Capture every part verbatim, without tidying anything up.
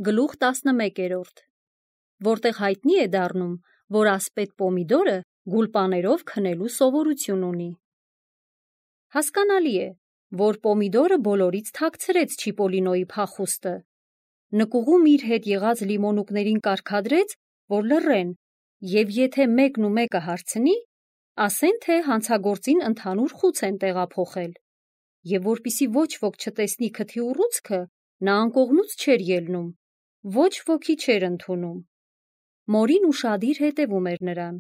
Գլուխ տասնմեկերորդ, որտեղ հայտնի է դառնում, որ ասպետ Պոմիդորը գուլպաներով քնելու սովորություն ունի։ Հասկանալի է, որ Պոմիդորը բոլորից թաքցրեց Չիպոլինոյի փախուստը, նկուղում իր հետ եղած լիմոնուկներին կարգադրեց, որ լռեն, և եթե մեկն ու մեկը հարցնի, ասեն, թե հանցագործին ընդհանուր խուց են տեղափոխել, և որպեսզի ոչ ոք չտեսնի քթի ուռուցքը, նա անկողնուց չէր ելնում, ոչ ոքի չէր ընդունում։ Մորին ուշադիր հետևում էր նրան,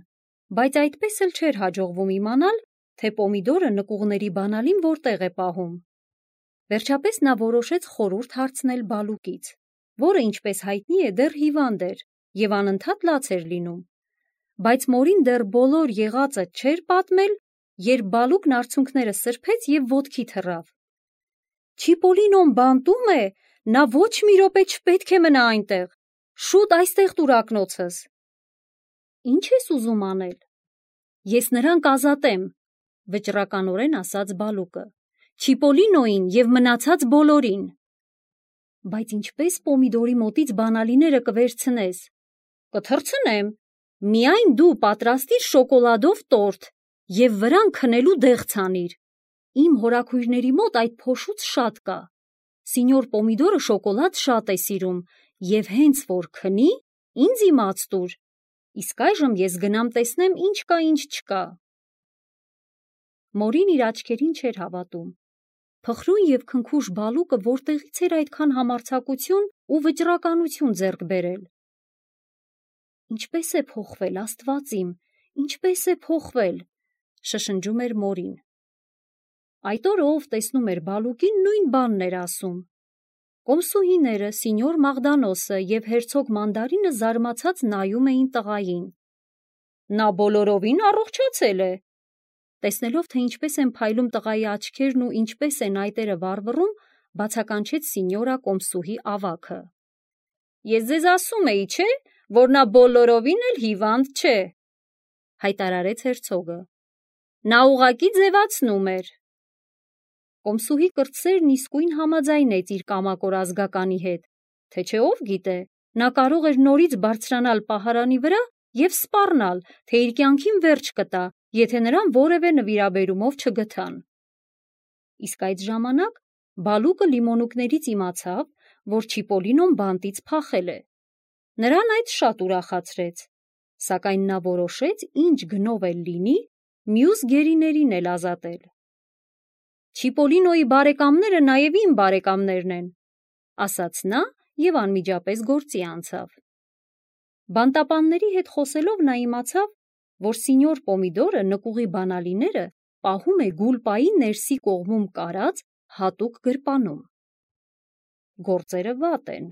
բայց այդպես էլ չէր հաջողվում իմանալ, թե Պոմիդորը նկուղների բանալին որտեղ է պահում։ Վերջապես նա որոշեց խորհուրդ հարցնել Բալուկից, որը, ինչպես հայտնի է, դեռ հիվանդ էր և անընդհատ լաց էր լինում, բայց մորին դեռ բոլոր եղածը չէր պատմել, երբ Բալուկն արցունքները սրբեց և ոտքի թռավ։ Չիպոլինոն բանտում է, նա ոչ մի րոպե չպետք է մնա այնտեղ, շուտ այստեղ տուր ակնոցս։ Ինչ ես ուզում անել։ Ես նրան կազատեմ, վճռականորեն ասաց Բալուկը, Չիպոլինոյին և մնացած բոլորին։ Բայց ինչպես Պոմիդորի մոտից բանալիները կվերցնես։ Կթռցնեմ, միայն դու պատրաստիր շոկոլադով տորտ և վրան քնելու դեղ ցանիր։ Իմ հորաքույրների մոտ այդ փոշուց շատ կա։ Սինյոր Պոմիդորը շոկոլադ շատ է սիրում և հենց որ քնի, ինձ իմաց տուր, իսկ այժմ ես գնամ տեսնեմ ինչ կա, ինչ չկա։ Մորին իր աչքերին չէր հավատում։ Փխրուն և քնքուշ Բալուկը որտեղից էր այդքան համարձակություն ու վճռականություն ձեռք բերել։ Ինչպե՞ս է փոխվել, Աստված իմ, ինչպե՞ս է փոխվել, շշնջում էր մորին։ Այդ օրը ով տեսնում էր Բալուկին, նույն բանն էր ասում։ Կոմսուհիները, սինյոր Մաղդանոսը և հերցոգ Մանդարինը զարմացած նայում էին տղային։ Նա բոլորովին առողջացել է։ Տեսնելով, թե ինչպես են փայլում տղայի աչքերն ու ինչպես են այտերը վառվռում, բացականչեց սինյորա Կոմսուհի ավագը։ Ես ձեզ ասում էի, չէ, որ նա բոլորովին էլ հիվանդ չէ, հայտարարեց հերցոգը։ Նա ուղղակի ձևացնում էր։ Կոմսուհի կրտսերն իսկույն համաձայնեց իր կամակոր ազգականի հետ, թե չէ ով գիտե, նա կարող էր նորից բարձրանալ պահարանի վրա և սպառնալ, թե իր կյանքին վերջ կտա, եթե նրան որևէ նվիրաբերումով չգթան։ Իսկ այդ ժամանակ Բալուկը լիմոնուկներից իմացավ, որ Չիպոլինոն բանտից փախել է։ Նրան այդ շատ ուրախացրեց, սակայն նա որոշեց ինչ գնով էլ լինի, մյուս գերիներին էլ ազատել։ Չիպոլինոյի բարեկամները նաև իմ բարեկամներն են, ասաց նա և անմիջապես գործի անցավ։ Բանտապանների հետ խոսելով նա իմացավ, որ սինյոր Պոմիդորը նկուղի բանալիները պահում է գուլպայի ներսի կողմում կարած հատուկ գրպանում։ Գործերը վատ են,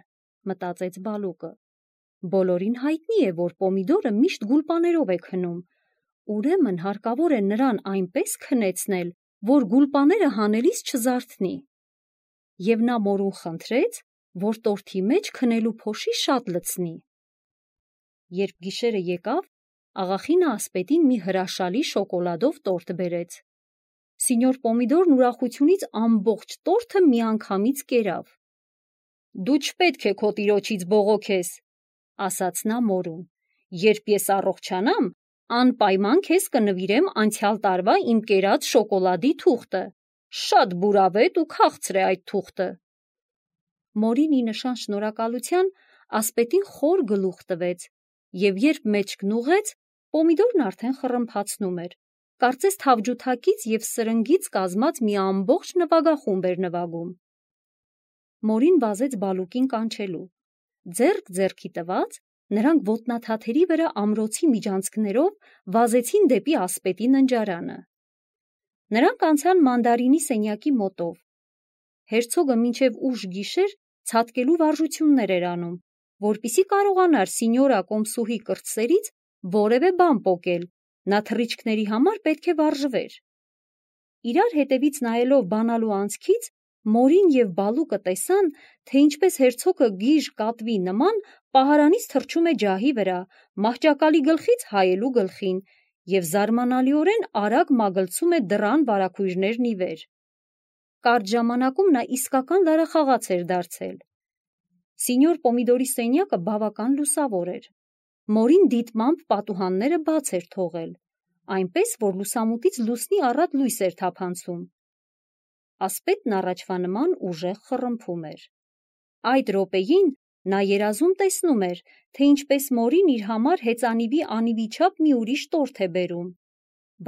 մտածեց Բալուկը։ Բոլորին հայտնի է, որ Պոմիդորը միշտ գուլպաներով է քնում, ուրեմն հարկավոր է նրան այնպես քնեցնել, որ գուլպաները հանելիս չզարթնի։ Եվ նա մորուն խնդրեց, որ տորթի մեջ քնելու փոշի շատ լցնի։ Երբ գիշերը եկավ, աղախինը ասպետին մի հրաշալի շոկոլադով տորտ բերեց։ Սինյոր Պոմիդորն ուրախությունից ամբողջ տորթը միանգամից կերավ։ Դու չպետք է քո տիրոջից բողոքես, ասաց նա մորուն, երբ ես առողջանամ, անպայման քեզ կնվիրեմ անցյալ տարվա իմ կերած շոկոլադի թուղթը, շատ բուրավետ ու քաղցր է այդ թուղթը։ Մորին ի նշան շնորհակալության ասպետին խոր գլուխ տվեց, և երբ մեջքն ուղղեց, Պոմիդորն արդեն խռմփացնում էր, կարծես թավջութակից և սրնգից կազմած մի ամբողջ նվագախումբ էր նվագում։ Մորին վազեց Բալուկին կանչելու։ Ձեռք ձեռքի տված, նրանք ոտնաթաթերի վրա ամրոցի միջանցքներով վազեցին դեպի ասպետի ննջարանը։ Նրանք անցան Մանդարինի սենյակի մոտով։ Հերցոգը մինչև ուշ գիշեր ցատկելու վարժություններ էր անում, որպեսզի կարողանար սինյորա Կոմսուհի կրտսերից որևէ բան պոկել, նա թռիչքների համար պետք է վարժվեր։ Իրար հետևից նայելով բանալու անցքից, Մորին և Բալուկը տեսան, թե ինչպես հերցոգը գիժ կատվի նման պահարանից թռչում է ջահի վրա, մահճակալի գլխից հայելու գլխին և զարմանալիորեն արագ մագլցում է դռան վարագույրներն ի վեր։ Կարճ ժամանակում նա իսկական դարախաղաց էր դարձել։ Սինյոր Պոմիդորի սենյակը բավական լուսավոր էր։ Մորին դիտմամբ պատուհանները բաց էր թողել, այնպես, որ լուսամուտից լուսնի առատ լույս էր թափանցում։ Ասպետն առաջվա նման ուժեղ խռմփում էր։ Այդ րոպեին նա երազում տեսնում էր, թե ինչպես Մորին իր համար հեծանիվի անիվի չափ մի ուրիշ տորթ է բերում,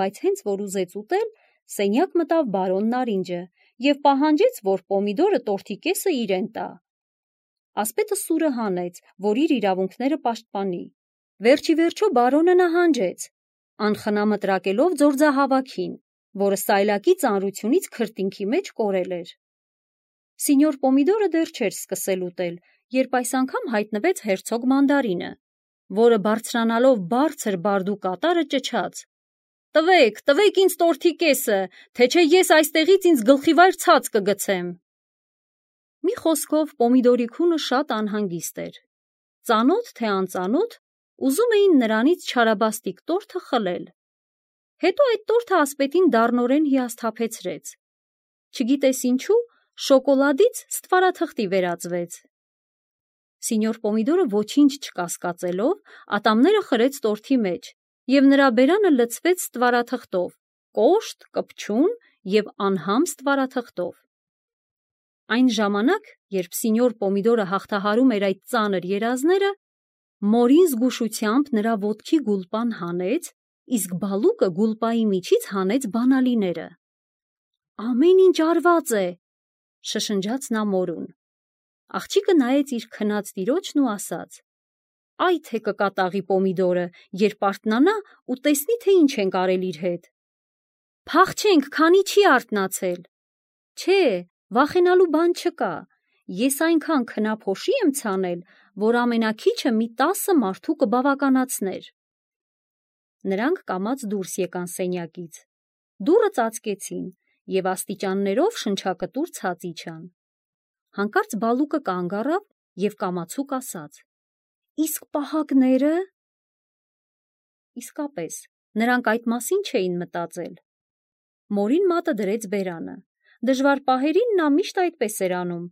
բայց հենց որ ուզեց ուտել, սենյակ մտավ բարոն Նարինջը և պահանջեց, որ Պոմիդորը տորթի կեսը իրեն տա։ Ասպետը սուրը հանեց, որ իր իրավունքները պաշտպանի։ Վերջի վերջո բարոնը նահանջեց, անխնամտրակելով ձորձահավաքին, որը սայլակի ծանրությունից քրտինքի մեջ կորել էր։ Սինյոր Պոմիդորը դեռ չէր սկսել ուտել, երբ այս անգամ հայտնվեց հերցոգ Մանդարինը, որը բարձրանալով բարձր բարդու կատարը ճչաց. «Տվեք, տվեք ինձ տորթի կեսը, թե չէ ես այստեղից ինձ գլխիվայր ցած կգցեմ»։ Մի խոսքով Պոմիդորի քունը շատ անհանգիստ էր։ Ծանոթ թե անծանոթ, ուզում էին նրանից չարաբաստիկ տորթը խլել։ Հետո այդ տորթը ասպետին դառնորեն հիասթափեցրեց։ Չգիտես ինչու, շոկոլադից ստվարաթղթի վերածվեց։ Սինյոր Պոմիդորը ոչինչ չկասկածելով, ատամները խրեց տորթի մեջ, և նրա բերանը լցվեց ստվարաթղթով, կոշտ, կպչուն և անհամ ստվարաթղթով։ Այն ժամանակ, երբ սինյոր Պոմիդորը հաղթահարում էր այդ ծանր երազները, Մորին զգուշությամբ նրա ոտքի գուլպան հանեց, իսկ բալուկը գուլպայի միջից հանեց բանալիները։ «Ամեն ինչ արված է», շշնջաց նա Մորուն։ Աղջիկը նայեց իր քնած տիրոջն ու ասաց. «Այ թե կկատաղի Պոմիդորը, երբ արթնանա ու տեսնի, թե ինչ ենք արել իր հետ»։ «Փախչենք, քանի չի արթնացել»։ «Չէ, վախենալու բան չկա, ես այնքան քնափոշի եմ ցանել, որ ամենաքիչը մի տասը մարդու կբավականացներ»։ Նրանք կամաց դուրս եկան սենյակից։ Դուռը ծածկեցին և աստիճաններով շնչակտուր ցած իջան։ Հանկարծ բալուկը կանգ առավ և կամացուկ ասաց. «Իսկ պահակնե՞րը»։ Իսկապես, նրանք այդ մասին չէին մտածել։ Մորին մատը դրեց բերանը։ Դժվար պահերին նա միշտ այդպես էր անում,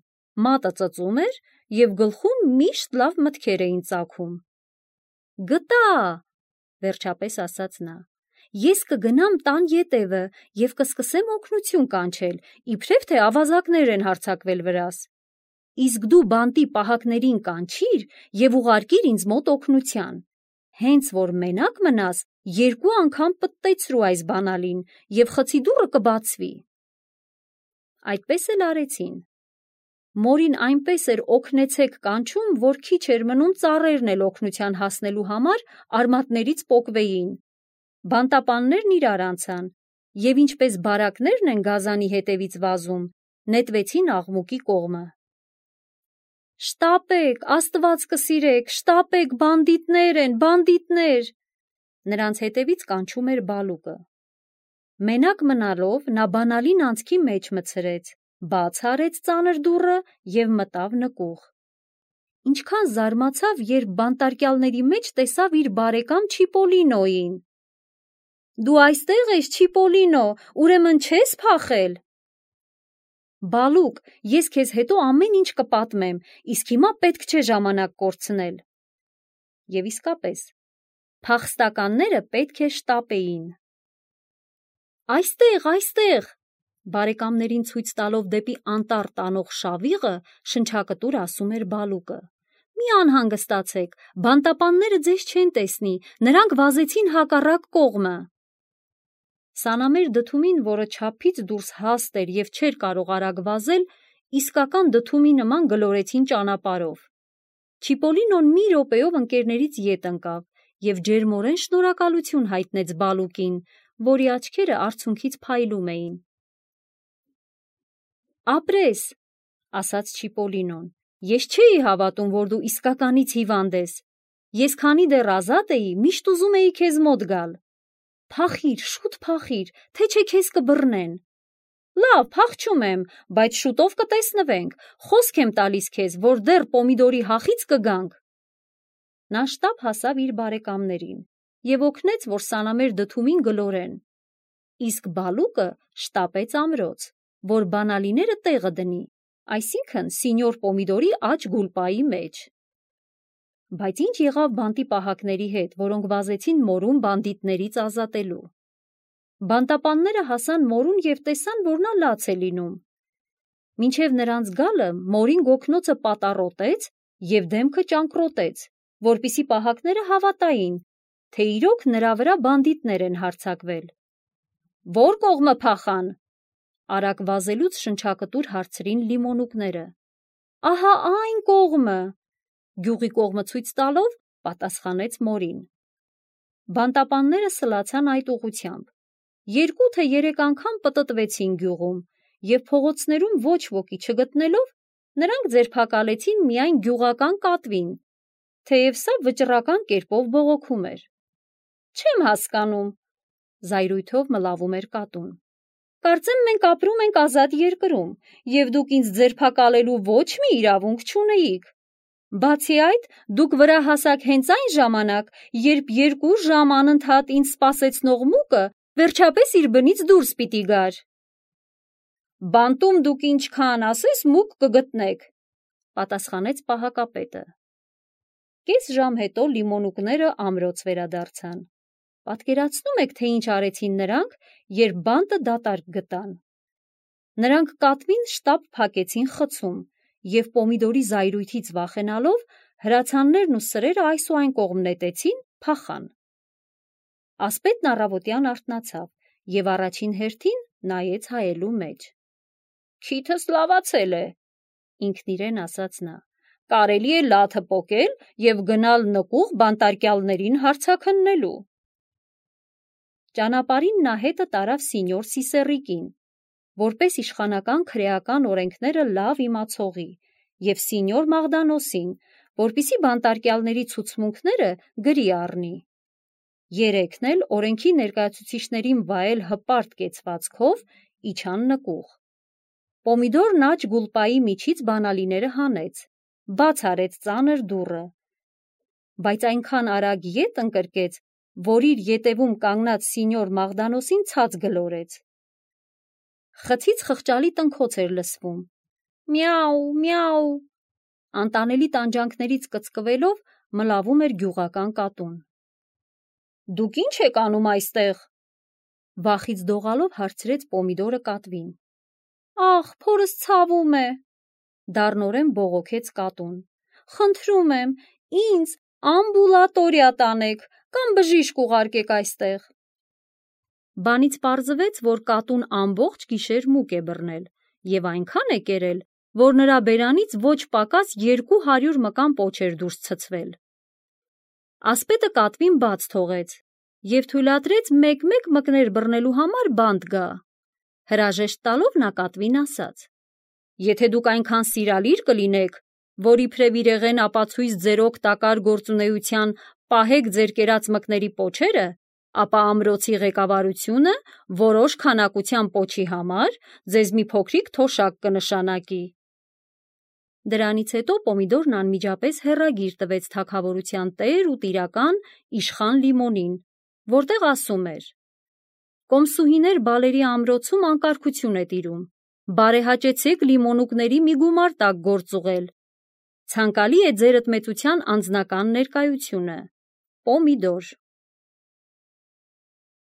մատը ծծում էր և գլխում միշտ լավ մտքեր էին ծագում։ «Գտա», վերջապես ասաց նա, «ես կգնամ տան ետևը և կսկսեմ օգնություն կանչել, իբրև թե ավազակներ են հարձակվել վրաս։ Իսկ դու բանտի պահակներին կանչիր և ուղարկիր ինձ մոտ օգնության։ Հենց որ մենակ մնաս, երկու անգամ պտտեցրու այս բանալին, և խցի դուռը կբացվի»։ Այդպես էլ արեցին։ Մորին այնպես էր օգնեցեք կանչում, որ քիչ էր մնում ծառերն էլ օգնության հասնելու համար արմատներից պոկվեին։ Բանտապաններն իրար անցան և ինչպես բարակներն են գազանի հետևից վազում, նետվեցին աղմուկի կողմը։ «Շտապեք, Աստված կսիրեք, շտապեք, բանդիտներ են, բանդիտներ»։ Նրանց հետևից կանչում էր բալուկը։ Մենակ մնալով նա բանալին անցքի մեջ մտցրեց, բաց արեց ծանր դուռը և մտավ նկուղ։ Ինչքան զարմացավ, երբ բանտարկյալների մեջ տեսավ իր բարեկամ Չիպոլինոյին։ «Դու այստեղ ես, Չիպոլինո, ուրեմն չես փախել»։ «Բալուկ, ես քեզ հետո ամեն ինչ կպատմեմ, իսկ հիմա պետք չէ ժամանակ կորցնել»։ Եվ իսկապես, փախստականները պետք է շտապեին։ «Այստեղ, այստեղ», բարեկամներին ցույց տալով դեպի անտառ տանող շավիղը, շնչակտուր ասում էր բալուկը։ «Մի անհանգստացեք, բանտապանները ձեզ չեն տեսնի, նրանք վազեցին հակառակ կողմը»։ Սանամեր դդումին, որը չափից դուրս հաստ էր և չէր կարող արագ վազել, իսկական դդումի նման գլորեցին ճանապարհով։ Չիպոլինոն մի րոպեով ընկերներից ետ ընկավ և ջերմորեն շնորհակալություն հայտնեց բալուկին, որի աչքերը արցունքից փայլում էին։ «Ապրես», ասաց Չիպոլինոն, «ես չէի հավատում, որ դու իսկականից հիվանդ ես։ Ես քանի դեռ ազատ էի, միշտ ուզում էի քեզ մոտ գալ։ Փախիր, շուտ փախիր, թե չէ քեզ կբռնեն»։ «Լավ, փախչում եմ, բայց շուտով կտեսնվենք, խոսք եմ տալիս քեզ, որ դեռ Պոմիդորի հախից կգանք»։ Նա շտապ հասավ իր բարեկամներին և օգնեց, որ սանամեր դդումին գլորեն։ Իսկ բալուկը շտապեց ամրոց, որ բանալիները տեղը դնի, այսինքն սինյոր Պոմիդորի աջ գուլպայի մեջ։ Բայց ինչ եղավ բանտի պահակների հետ, որոնք վազեցին մորուն բանդիտներից ազատելու։ Բանտապանները հասան մորուն և տեսան, որ նա լաց է լինում։ Մինչև նրանց գալը մորին գոգնոցը պատառոտեց և դեմքը ճանկռոտեց, որպեսզի պահակները հավատային, թե իրոք նրա վրա բանդիտներ են հարձակվել։ Ո՞ր կողմը փախան, արագ վազելուց շնչակտուր հարցրին լիմոնուկները։ Ահա այն կողմը, գյուղի կողմը ցույց տալով պատասխանեց մորին։ Բանտապանները սլացան այդ ուղղությամբ։ Երկու թե երեք անգամ պտտվեցին գյուղում և փողոցներում ոչ ոքի չգտնելով, նրանք ձերբակալեցին միայն գյուղական կատվին, թեև սա վճռական կերպով բողոքում էր։ Չեմ հասկանում, զայրույթով մլավում էր կատուն։ Կարծեմ մենք ապրում ենք ազատ երկրում, և դուք ինձ ձերբակալելու ոչ մի իրավունք չունեիք։ Բացի այդ, դուք վրա հասաք հենց այն ժամանակ, երբ երկու ժամ անընդհատ ինձ սպասեցնող մուկը վերջապես իր բնից դուրս պիտի գար։ Բանտում դուք ինչքան ասես մուկ կգտնեք, պատասխանեց պահակապետը։ Կես ժամ հետո լիմոնուկները ամրոց վերադարձան։ Պատկերացնում եք, թե ինչ արեցին նրանք, երբ բանտը դատարկ գտան։ Նրանք կատվին շտապ փակեցին խցում և Պոմիդորի զայրույթից վախենալով հրացաններն ու սրերը այս ու այն կողմ նետեցին, փախան։ Ասպետն առավոտյան արթնացավ և առաջին հերթին նայեց հայելու մեջ։ Քիթս լավացել է, ինքն իրեն ասաց նա, կարելի է լաթը պոկել և գնալ նկուղ բանտարկյալներին հարցաքննելու։ Ճանապարհին նա հետը տարավ սինյոր Սիսեռիկին, որպես իշխանական քրեական օրենքները լավ իմացողի, և սինյոր Մաղդանոսին, որպեսզի բանտարկյալների ցուցմունքները գրի առնի։ Երեքն էլ օրենքի ներկայացուցիչներին վայել հպարտ կեցվածքով իջան նկուղ։ Պոմիդորն աջ գուլպայի միջից բանալիները հանեց, բաց արեց ծանր դուռը, բայց այնքան արագ ետ ընկրկեց, որ իր ետևում կանգնած սինյոր Մաղդանոսին ցած գլորեց։ Խցից խղճալի տնքոց էր լսվում։ Միաու, միաու, անտանելի տանջանքներից կծկվելով մլավում էր գյուղական կատուն։ Դուք ի՞նչ եք անում այստեղ, վախից դողալով հարցրեց Պոմիդորը կատվին։ Ախ, փորս ցավում է, դառնորեն բողոքեց կատուն։ Խնդրում եմ, ինձ ամբուլատորիա տանեք կամ բժիշկ ուղարկեք այստեղ։ Բանից պարզվեց, որ կատուն ամբողջ գիշեր մուկ է բռնել և այնքան է կերել, որ նրա բերանից ոչ պակաս երկու հարյուր մկան պոչ էր դուրս ցցվել։ Ասպետը կատվին բաց թողեց և թույլատրեց մեկ-մեկ մկներ բռնելու համար բանտ գա։ Հրաժեշտ տալով նա կատվին ասաց. Եթե դուք այնքան սիրալիր կլինեք, որ իբրև իրեղեն ապացույց ձեր օգտակար գործունեության պահեք ձեր կերած մկների պոչերը, ապա ամրոցի ղեկավարությունը որոշ քանակության պոչի համար ձեզ մի փոքրիկ թոշակ կնշանակի։ Դրանից հետո Պոմիդորն անմիջապես հեռագիր տվեց թագավորության տեր ու տիրական իշխան Լիմոնին, որտեղ ասում էր. Կոմսուհիներ բալերի ամրոցում անկարգություն է տիրում, բարեհաճեցեք լիմոնուկների մի գումար տակ գործ ուղղել։ Ցանկալի է ձերդ մեծության անձնական ներկայությունը։ Պոմիդոր։